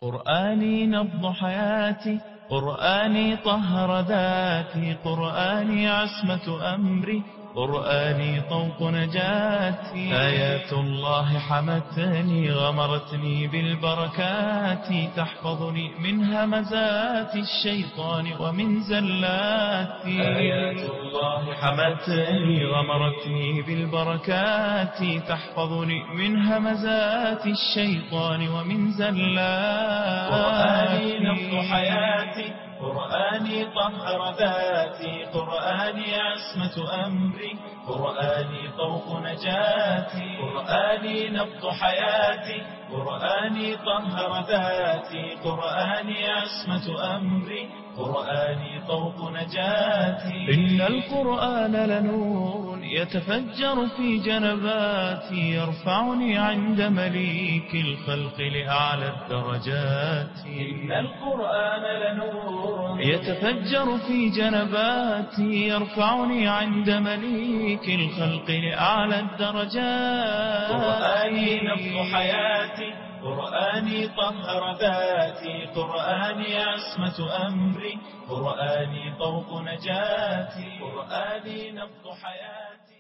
قرآني نبض حياتي، قرآني طهر ذاتي، قرآني عصمة أمري، قرآني طوق نجاتي. آيات الله حمتني غمرتني بالبركات، تحفظني من همزات الشيطان ومن زلاتي. آيات الله حمتني غمرتني بالبركات، تحفظني من همزات الشيطان ومن زلاتي. قرآني نبض حياتي، قرآني طهر ذاتي، قرآني عصمة أمري، قرآني طوق نجاتي. قرآني نبض حياتي، قرآني طهر ذاتي، قرآني عصمة أمري، قرآني طوق نجاتي. إن القرآن لنور يتفجر في جنباتي، يرفعني عند مليك الخلق لأعلى الدرجات. إن القرآن لنور يتفجر في جنباتي، يرفعني عند مليك الخلق لأعلى الدرجات. قرآني نبض حياتي، قرآني طهر ذاتي، قرآني عصمة أمري، قرآني طوق نجاتي. قرآني نبض حياتي.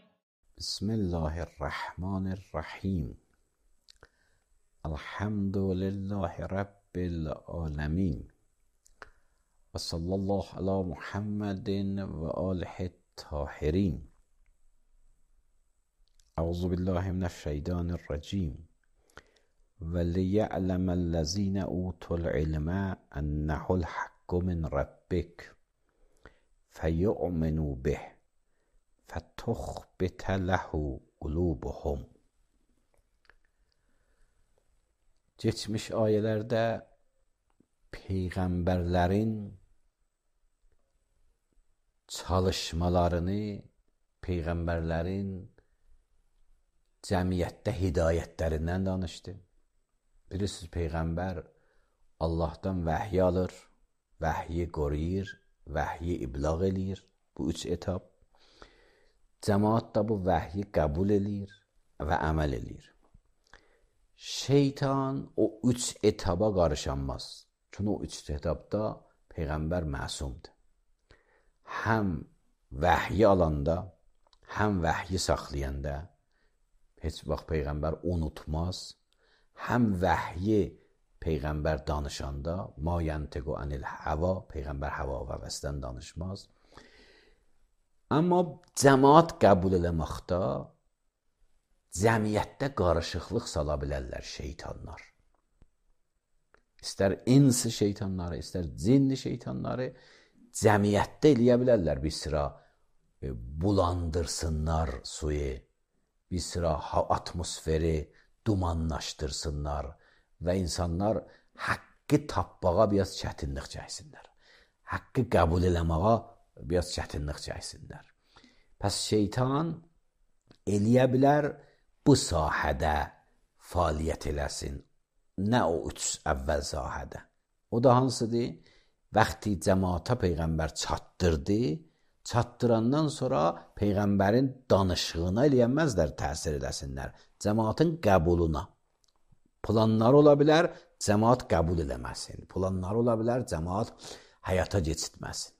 بسم الله الرحمن الرحیم. الحمد لله رب العالمین و صلی الله علی محمد و آله الطاهرین. اعوذ بالله من الشیطان الرجیم. ولیعلم الذین اوتوا العلم انه الحق من ربک فیؤمنوا به فتخبت له قلوبهم. Geçmiş ayələrdə peyğəmbərlərin çalışmalarını, peyğəmbərlərin cəmiyyətdə hidayətlərindən danışdı. Bilirsiniz, peyğəmbər Allahdan vəhiy alır, vəhyi qoruyur, vəhyi iblağ eləyir. Bu üç etap. Cəmaat da bu vəhyi qəbul eləyir və əməl eləyir. Şeytan o üç etaba qarışanmaz. Çünki o üç etapda peyğəmbər məsumdur. Həm vəhyi alanda, həm vəhyi saxlayanda heç vaxt peyğəmbər unutmaz. Həm vəhyi peyğəmbər danışanda, ma yantiqu anil hava, peyğəmbər hava və vəsdən danışmaz. Amma cəmaat qəbul eləməkdə cəmiyyətdə qarışıqlıq sala bilərlər şeytanlar. İstər insi şeytanları, istər cinni şeytanları cəmiyyətdə eləyə bilərlər. Bir sıra bulandırsınlar suyu, bir sıra atmosferi dumanlaşdırsınlar və insanlar haqqı tapmağa biraz çətinlik çəksinlər. Haqqı qəbul eləməyə biraz çətinlik çəksinlər. Pəs şeytan eləyə bilər bu sahədə fəaliyyət eləsin. Nə o üç əvvəl sahədə. O da hansıdır? Vaxtı cəmaata peyğəmbər çatdırdı, çatdırandan sonra peyğəmbərin danışığına eləyənməzlər, təsir edəsinlər. Cəmaatın qəbuluna. Planlar ola bilər, cəmaat qəbul eləməsin. Planlar ola bilər, cəmaat həyata keçirtməsin.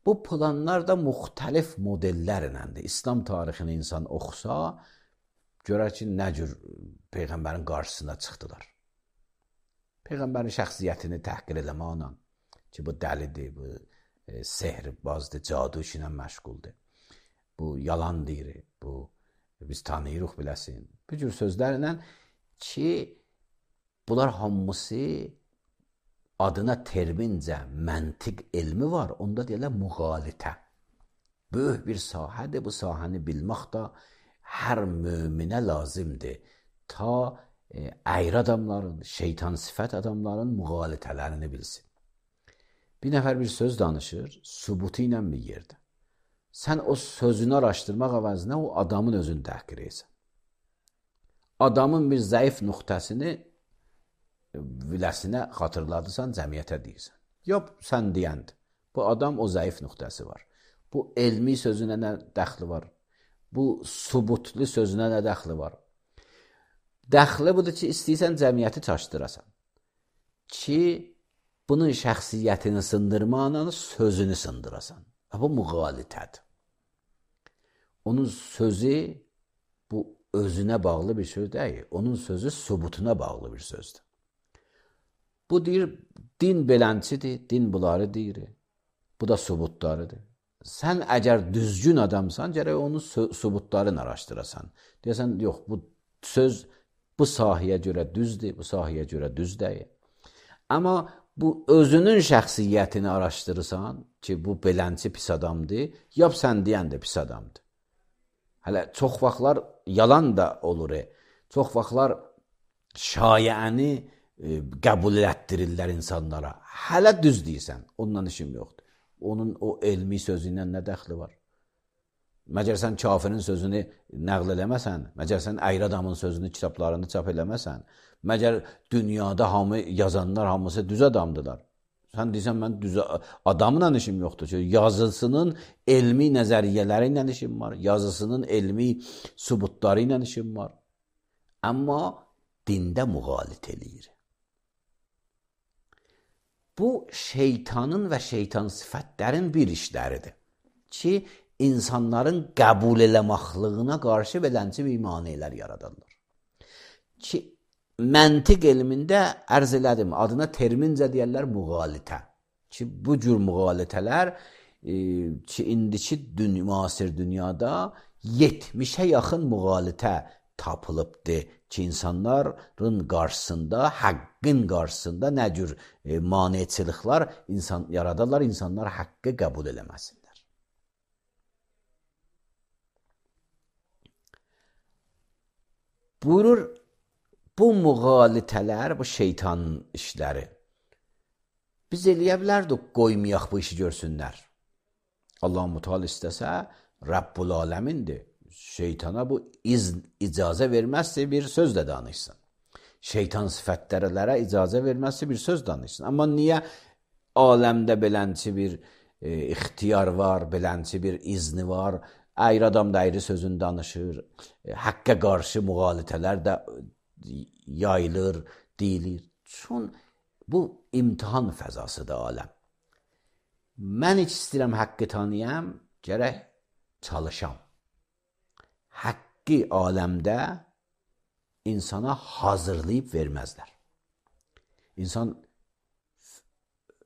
Bu planlar da müxtəlif modellərləndir. İslam tarixini insan oxusa, görər ki, nə cür peyğəmbərin qarşısına çıxdılar. Peyğəmbərin şəxsiyyətini təhqir eləməklə ki, bu dəlidir, bu sehrbazdır, cadu işi ilə məşğuldur. Bu yalan deyir, bu biz tanıyırıq biləsin. Bu cür sözlərlə ki, bunlar hamısı adına termincə məntiq elmi var, onda deyirlər müğalitə. Böyük bir sahədir, bu sahəni bilmək də hər möminə lazımdır. Ta əyri adamların, şeytan sifət adamların müğalitələrini bilsin. Bir nəfər bir söz danışır, sübutu ilə bir yerdə. Sən o sözünü araşdırmaq əvəzinə o adamın özünü təhqir etsən. Adamın bir zəif nöqtəsini viləsinə xatırladırsan, cəmiyyətə deyirsən. Yox, sən deyəndir. Bu adam o zəif nöqtəsi var. Bu elmi sözünə nə dəxli var? Bu subutlu sözünə nə dəxli var? Dəxli budur ki, istəyirsən cəmiyyəti çaşdırasan. ki, bunun şəxsiyyətini sındırmaqla sözünü sındırasan. Bu müğalitədir. Onun sözü bu özünə bağlı bir söz deyil. Onun sözü sübutuna bağlı bir sözdür. Bu deyir, din belənçidir, din bunları deyir. Bu da sübutlarıdır. Sən əgər düzgün adamsan, gərək onun sübutlarını araşdırasan. Deyəsən, yox, bu söz bu sahəyə görə düzdür, bu sahəyə görə düz deyil. Amma bu özünün şəxsiyyətini araşdırırsan ki, bu belənçi pis adamdır, yap sən deyən də pis adamdır. Hələ çox vaxtlar yalan da olur. Çox vaxtlar şayəni qəbul etdirirlər insanlara. Hələ düz deyirsən, ondan işim yoxdur. Onun o elmi sözü ilə nə dəxli var? Məgər sən kafirin sözünü nəql eləməsən, məgər sən əyri adamın sözünü kitablarını çap eləməsən, məgər dünyada hamı yazanlar hamısı düz adamdılar. Sən deyirsən, mən düz adamla işim yoxdur ki, yazısının elmi nəzəriyyələri ilə işim var, yazısının elmi sübutları ilə işim var. Amma dində müğalit eləyir. Bu, şeytanın və şeytan sifətlərin bir işləridir ki, insanların qəbul eləməxlığına qarşı belənçi bir maneələr yaradarlar. Ki, məntiq elmində ərz elədim, adına termincə deyərlər müğalitə. Ki, bu cür müğalitələr ki, indiki müasir dünyada 70'ə yaxın müğalitə tapılıbdır ki, insanların qarşısında, haqqın qarşısında nə cür maneçiliklər yaradarlar, insanlar haqqı qəbul eləməsinlər. Buyurur, bu müğalitələr, bu şeytanın işləri. Biz eləyə bilərdik, qoymayaq bu işi görsünlər. Allah-u Müteala istəsə, Rabbul Aləmindir. Şeytana bu icazə verməzsə bir sözlə danışsın. Şeytan sifətlərə icazə verməzsə bir söz danışsın. Amma niyə aləmdə belənçi bir ixtiyar var, belənçi bir izni var, əyri adam da əyri sözünü danışır, haqqa qarşı müğalitələr də yayılır, deyilir. Çün bu imtihan fəzasıdır aləm. Mən heç istəyirəm haqqı tanıyam, gərək çalışam. Haqqı aləmdə insana hazırlayıb verməzlər. İnsan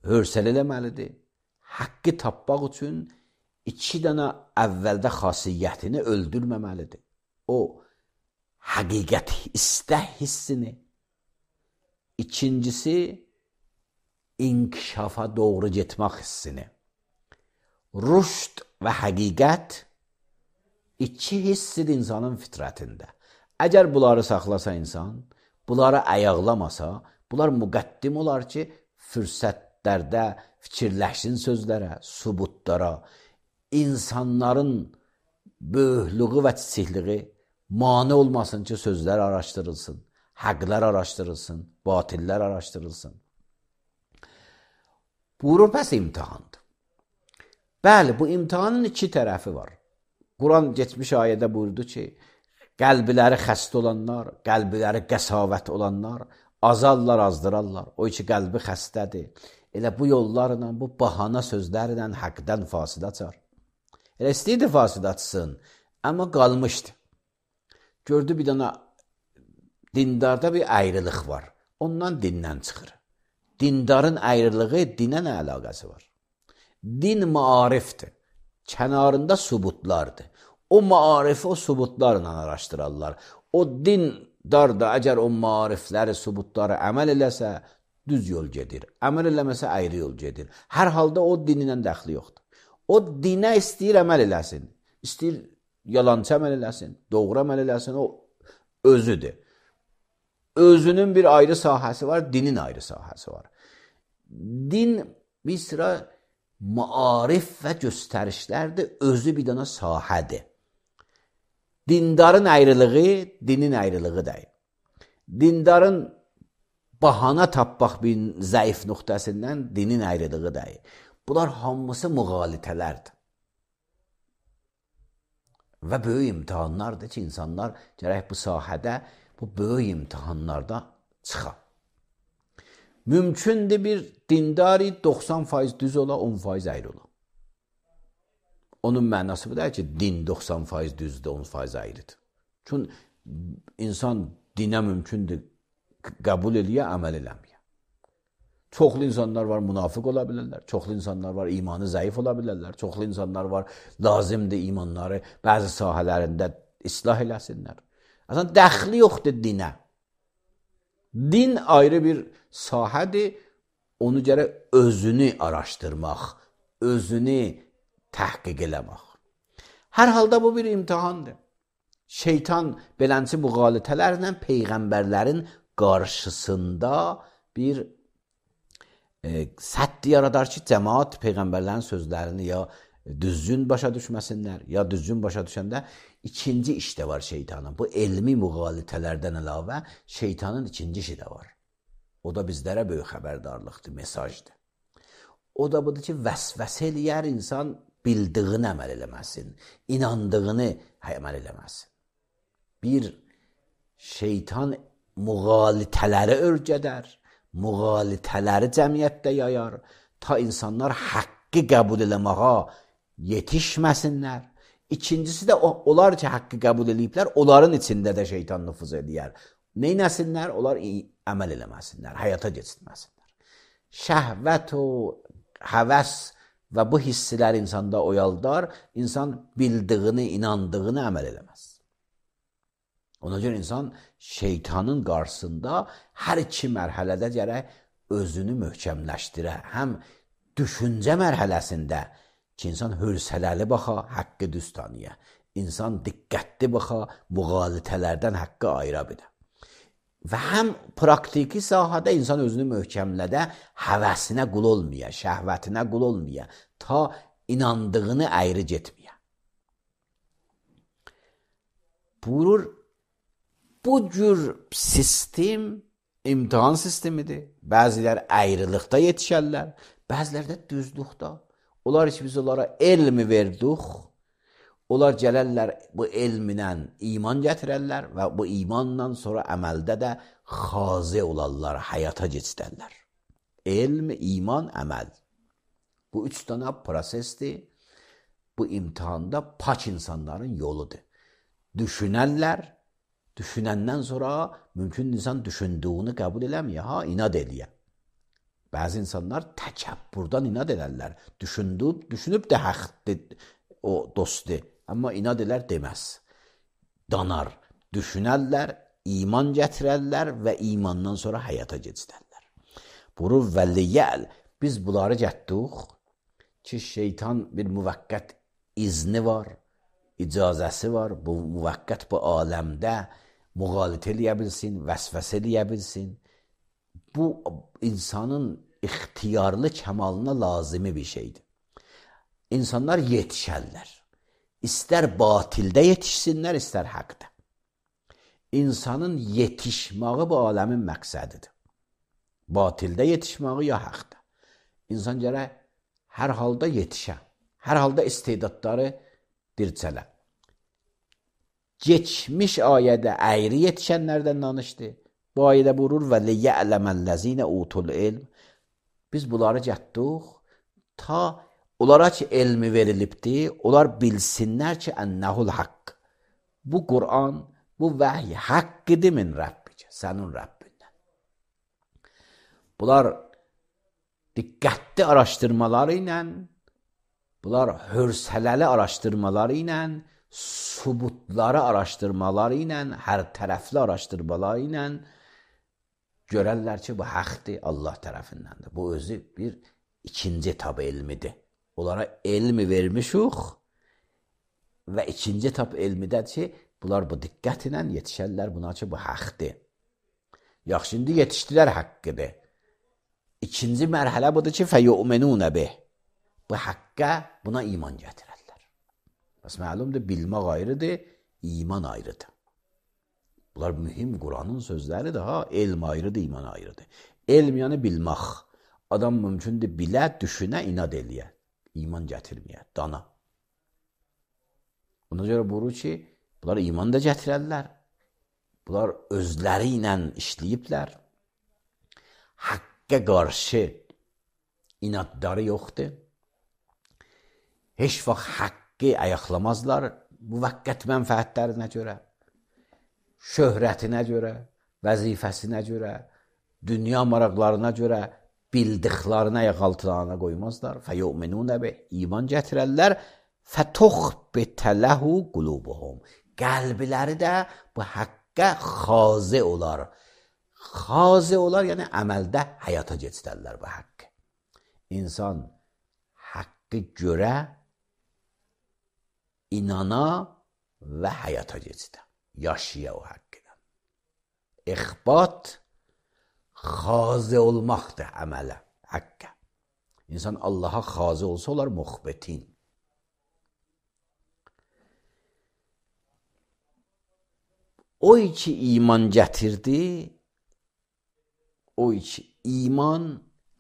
hörsəl eləməlidir. Haqqı tapmaq üçün 2 dənə əvvəldə xasiyyətini öldürməməlidir. O, həqiqət istək hissini. İkincisi, inkişafa doğru getmək hissini. Rüşd və həqiqət 2 hissidir insanın fitrətində. Əgər bunları saxlasa insan, bunları ayaqlamasa, bunlar müqəddim olar ki, fürsətlərdə fikirləşsin sözlərə, sübutlara, insanların böyüklüğü və çiçikliği mane olmasın ki, sözlər araşdırılsın, haqlar araşdırılsın, batillər araşdırılsın. Buyurur, pəs imtihandır. Bəli, bu imtihanın 2 tərəfi var. Quran geçmiş ayədə buyurdu ki, qəlbləri xəstə olanlar, qəlbləri qəsavət olanlar azarlar, azdırarlar. O ki, qəlbi xəstədir. Elə bu yollarla, bu bahana sözlərlə haqdan fasid açar. Elə istəyirdi fasid açsın, amma qalmışdı. Gördü bir dana dindarda bir ayrılıq var. Ondan dindən çıxır. Dindarın ayrılığı dinə nə əlaqəsi var? Din maarifdir. Kənarında sübutlardır. O maarifi o sübutlarla araşdırarlar. O dindar da əgər o maarifləri, sübutları əməl eləsə, düz yol gedir. Əməl eləməsə, ayrı yol gedir. Hər halda o dinlə dəxli yoxdur. O dinə istəyir əməl eləsin. İstəyir yalançı əməl eləsin, doğru əməl eləsin, o özüdür. Özünün bir ayrı sahəsi var, dinin ayrı sahəsi var. Din bir sıra maarif və göstərişlərdir, özü bir dana sahədir. Dindarın ayrılığı, dinin ayrılığı deyil. Dindarın bahana tapmaq bir zəif nöqtəsindən dinin ayrılığı deyil. Bunlar hamısı müğalitələrdir. Və böyük imtihanlardır ki, insanlar gərək bu sahədə, bu böyük imtihanlarda çıxa. Mümkündür bir dindari 90% düz ola, 10% əyri ola. Onun mənası bu da ki, din 90% düzdür, 10% əyridir. Çünki insan dinə mümkündür qəbul eləyə, əməl eləməyə. Çoxlu insanlar var, münafıq ola bilərlər. Çoxlu insanlar var, imanı zəif ola bilərlər. Çoxlu insanlar var, lazımdır imanları bəzi sahələrində islah eləsinlər. Aslında dəxli yoxdur dinə. Din ayrı bir sahədir. Onu gərək özünü araşdırmaq, özünü təhqiq eləmək. Hər halda bu bir imtihandır. Şeytan belənçi müğalitələrlə peyğəmbərlərin qarşısında bir sədd yaradar ki, cəmaat peyğəmbərlərin sözlərini ya düzgün başa düşməsinlər, ya düzgün başa düşəndə ikinci iş də var şeytanın. Bu elmi müğalitələrdən əlavə şeytanın ikinci işi də var. O da bizlərə böyük xəbərdarlıqdır, mesajdır. O da budur ki, vəsvəsə eləyər insan bildiğini əməl eləməsin, inandığını əməl eləməsin. Bir şeytan müğalitələri örgədər, müğalitələri cəmiyyətdə yayar, ta insanlar haqqı qəbul eləməyə yetişməsinlər. İkincisi də onlar ki, haqqı qəbul eləyiblər, onların içində də şeytan nüfuz edər. Neynəsinlər? Onlar əməl eləməsinlər, həyata geçirməsinlər. Şəhvət o həvəs və bu hisslər insanda oyaldar, insan bildiğini, inandığını əməl eləməz. Ona görə insan şeytanın qarşısında hər iki mərhələdə gərək özünü möhkəmləşdirə. Həm düşüncə mərhələsində ki, insan hövsələli baxa, haqqı düz tanıya. İnsan diqqətli baxa, müğalitələrdən haqqı ayıra bilə. Və həm praktiki sahədə insan özünü möhkəmlədə, həvəsinə qul olmaya, şəhvətinə qul olmaya, ta inandığını ayrı getməyə. Buyurur, bu cür sistem imtihan sistemidir. Bəzilər ayrılıqda yetişərlər, bəzilər də düzlükdə. Onlar ki, biz onlara elmi verdik, onlar gələrlər bu elminlə iman gətirərlər və bu imanla sonra əməldə də xazi olarlar, həyata keçirərlər. Elm, iman, əməl. Bu üç dənə prosesdir. Bu imtihanda pak insanların yoludur. Düşünərlər, düşünəndən sonra mümkün insan düşündüyünü qəbul eləməyə, inad eləyə. Bəzi insanlar təkəbbürdən inad edərlər. Düşünüb də həqdir o dostdur. Amma inad elər deməz. Danar, düşünərlər, iman gətirərlər və imandan sonra həyata keçirərlər. Buyurur, vəliyyəl, biz bunları getdik ki, şeytan bir müvəqqət izni var, icazəsi var, bu müvəqqət bu aləmdə müğalitə eləyə bilsin, vəsvəsə eləyə bilsin. Bu insanın ixtiyarlı kəmalına lazımi bir şeydir. İnsanlar yetişərlər. İstər batildə yetişsinlər, istər haqda. İnsanın yetişməyi bu aləmin məqsədidir. Batildə yetişməyi ya haqda. İnsan gərək hər halda yetişə. Hər halda istedadları dirçələ. Geçmiş ayədə əyri yetişənlərdən danışdı. Bu ayədə buyurur və liya'ləməl-ləzinə utul ilm. Biz bunları getdik ta onlara ki elmi verilibdir, onlar bilsinlər ki ennəhul haqq. Bu Qur'an, bu vəhy haqqıdır min Rəbbicə, sənin Rəbbindən. Bunlar diqqətli araşdırmaları ilə, bunlar hövsələli araşdırmaları ilə, subutları araşdırmaları ilə, hər tərəfli araşdırmaları ilə görərlər ki, bu haqdır, Allah tərəfindəndir. Bu özü bir ikinci etap elmidir. Onlara elmi vermişik və ikinci etap elmidədir ki, bunlar bu diqqət ilə yetişərlər buna ki, bu haqdır. Yaxşı, indi yetişdilər haqqıdır. İkinci mərhələ budur ki, fəyu'menunə bih. Bu haqqa buna iman gətirərlər. Bəs məlumdur, bilmək ayrıdır, iman ayrıdır. Bunlar mühim Qur'anın sözləridir, elm ayrıdır, iman ayrıdır. Elm yəni bilmək. Adam mümkündür bilə, düşünə, inad eləyə. İman gətirməyə, dana. Ona görə buyurur ki, bunlar iman da gətirərlər. Bunlar özləri ilə işləyiblər. Haqq haqqa qarşı inadları yoxdur. Heç vaxt haqqı ayaqlamazlar müvəqqət mənfəətlərinə görə, şöhrətinə görə, vəzifəsinə görə, dünya maraqlarına görə bildiklərini ayaq altına qoymazlar. Fəyu'minunə bih, iman gətirərlər. Fətuxbitə ləhu qulubuhum, qəlbləri də bu haqqa xazi olar. Xazi olar, yəni əməldə həyata keçirərlər bu haqqı. İnsan haqqı görə, inana və həyata keçirər. Yaşaya o haqqıdan. İxbat xazi olmaqdır əmələ, haqqa. İnsan Allaha xazi olsa olar muxbitin. O ki iman gətirdi, o ki iman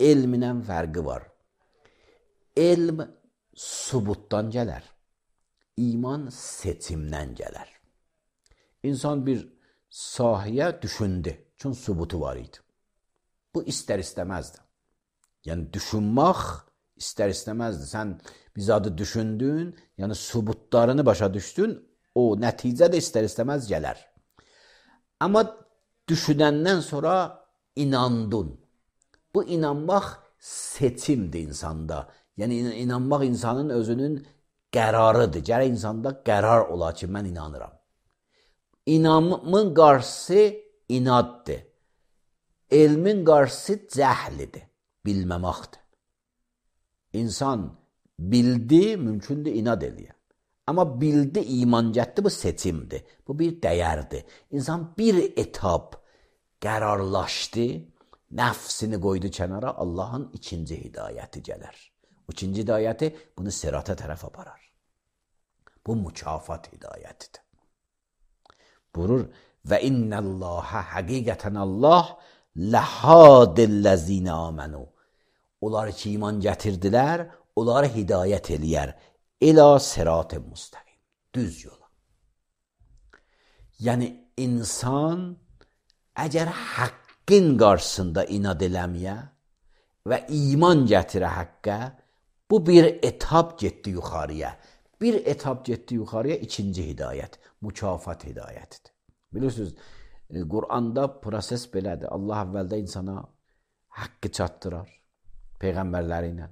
elminlə fərqi var. Elm subutdan gələr, iman seçimdən gələr. İnsan bir sahəyə düşündü, çünki subutu var idi. Bu istər-istəməzdi. Yəni düşünmək istər-istəməzdi. Sən bir zadı düşündün, yəni subutlarını başa düşdün, o nəticə də istər-istəməz gələr. Amma düşünəndən sonra inandın. Bu inanmaq seçimdir insanda. Yəni inanmaq insanın özünün qərarıdır. Gərək insanda qərar ola ki, mən inanıram. İnanmın qarşısı inaddır. Elmin qarşısı cəhlidir, bilməməkdir. İnsan bildi, mümkündür inad eləyər. Amma bildi, iman gətdi, bu seçimdir. Bu bir dəyərdir. İnsan bir etap qərarlaşdı, nəfsini qoydu kənara, Allahın ikinci hidayəti gələr. İkinci hidayəti bunu sirata tərəf aparar. Bu mükafat hidayətidir. Buyurur, və innəllâhə həqiqətən Allah ləhadillezine amenu. Onlar ki iman gətirdilər, onları hidayət eləyər. İlâ sirat-ı müstəqim. Düz yola. Yəni insan əgər haqqın qarşısında inad eləməyə və iman gətirə haqqa, bu bir etap getdi yuxarıya. Bir etap getdi yuxarıya, ikinci hidayət, mükafat hidayətidir. Bilirsiniz, Qur'anda proses belədir. Allah əvvəldə insana haqqı çatdırar, peyğəmbərləri ilə.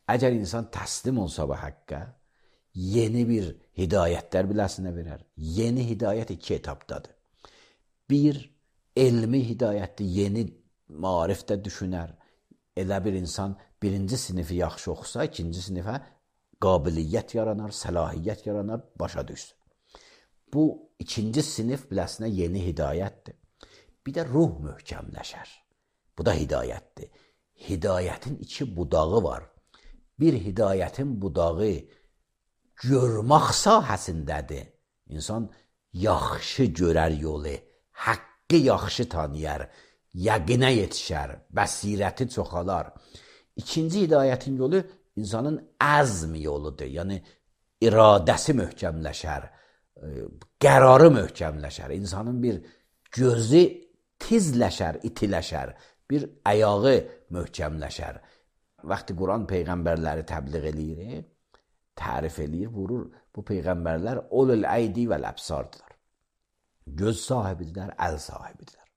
Əgər insan təslim olsa bu haqqa, yeni bir hidayətlər biləsinə verər. Yeni hidayət iki etapdadır. Bir, elmi hidayətdir, yeni marifdə düşünər. Elə bir insan birinci sinifi yaxşı oxusa, ikinci sinifə qabiliyyət yaranar, səlahiyyət yaranar, başa düşsün. Bu ikinci sinif biləsinə yeni hidayətdir. Bir də ruh möhkəmləşər. Bu da hidayətdir. Hidayətin iki budağı var. Bir hidayətin budağı görmək sahəsindədir. İnsan yaxşı görər yolu, haqqı yaxşı tanıyar, yəqinə yetişər, bəsirəti çoxalar. İkinci hidayətin yolu insanın əzm yoludur. Yəni iradəsi möhkəmləşər, qərarı möhkəmləşər. İnsanın bir gözü tizləşər, itiləşər, bir ayağı möhkəmləşər. Vaxtı Quran peyğəmbərləri təbliğ eləyir, tərif eləyir, vurur. Bu peyğəmbərlər ulul əydi vəl əbsardılar. Göz sahibidirlər, əl sahibidirlər.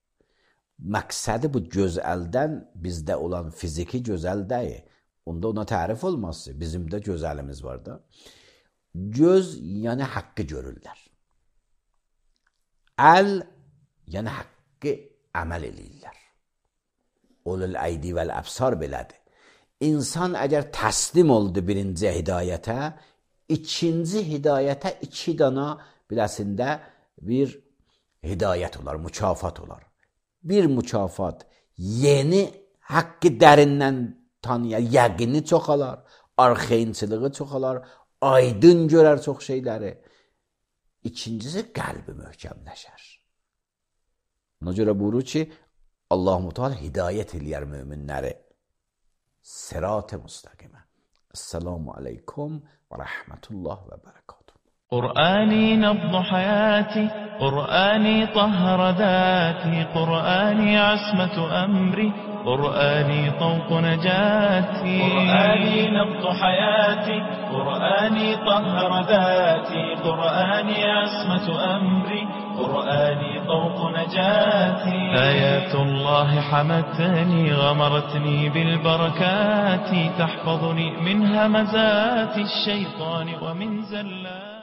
Məqsədi bu göz əldən bizdə olan fiziki gözəl deyil. Onda ona tərif olmazsa, bizim də gözəlimiz var da. Göz, yəni haqqı görürlər. Əl, yəni haqqı əməl eləyirlər. Ulul əydi vəl əbsar belədir. İnsan əgər təslim oldu birinci hidayətə, ikinci hidayətə iki dana biləsində bir hidayət olar, mükafat olar. Bir mükafat yeni haqqı dərindən tanıyar, yəqini çoxalar, arxayınçılığı çoxalar, aydın görər çox şeyləri. İkincisi qəlbi möhkəmləşər. Ona görə buyurur ki, Allah-u Teala hidayət eləyər möminləri. Sirat-ı müstəqimə. Esselamu aleykum və rəhmətullah və bərəkatuhu. قرآني نبض حياتي، قرآني طهر ذاتي، قرآني عصمة أمري، قرآني طوق نجاتي. قرآني نبض حياتي، قرآني طهر ذاتي، قرآني عصمة أمري، قرآني طوق نجاتي. آيات الله حمتني، غمرتني بالبركات، تحفظني من همزات الشيطان ومن زلات